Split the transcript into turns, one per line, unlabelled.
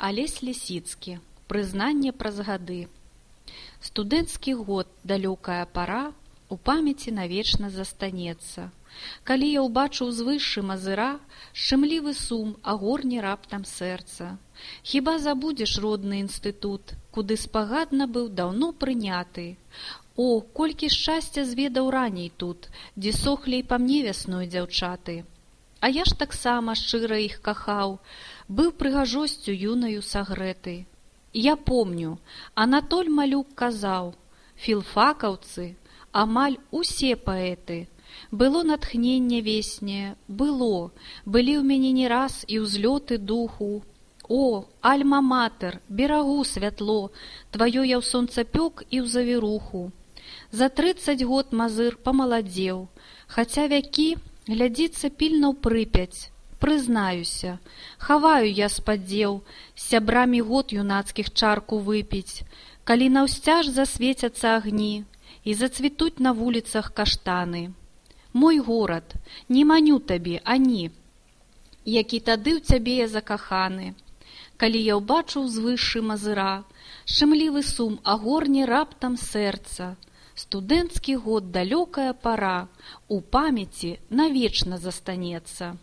Алесь Лісіцкі. Прызнанне праз гады. Студэнцкі год, далёкая пара, у памяці навечна застанецца. Калі я ўбачыў звышшы мазыра, шчымлівы сум агорне раптам сэрца. Хіба забудзеш родны інстытут, куды спагадна быў даўно прыняты? О, колькі шчасця зведаў раней тут, дзе сохлі і па мне вясной дзяўчаты. А я ж таксама шчыра іх кахаў, быў прыгажосцю юнаю сагрэты. Я помню, Анатоль Малюк казаў, філфакаўцы, амаль усе паэты. Было натхненне веснее, былі ў мяне не раз і ўзлёты духу. О, альма-матэр, берагу святло, тваё я ў сонцапёк і ў завіруху. За 30 год мазыр памаладзеў, хаця вякі глядзіцца пільна ў Прыпяць. Прызнаюся, хаваю я спадзеў з сябрамі год юнацкіх чарку выпіць, калі наўсцяж засвецяцца агні і зацвітуць на вуліцах каштаны. Мой горад, не маню табе, ані, які тады ў цябе я закаханы. Калі я ўбачыў звышшы мазыра, шчымлівы сум агорне раптам сэрца. Студэнцкі год, далёкая пара, у памяці навечна застанецца.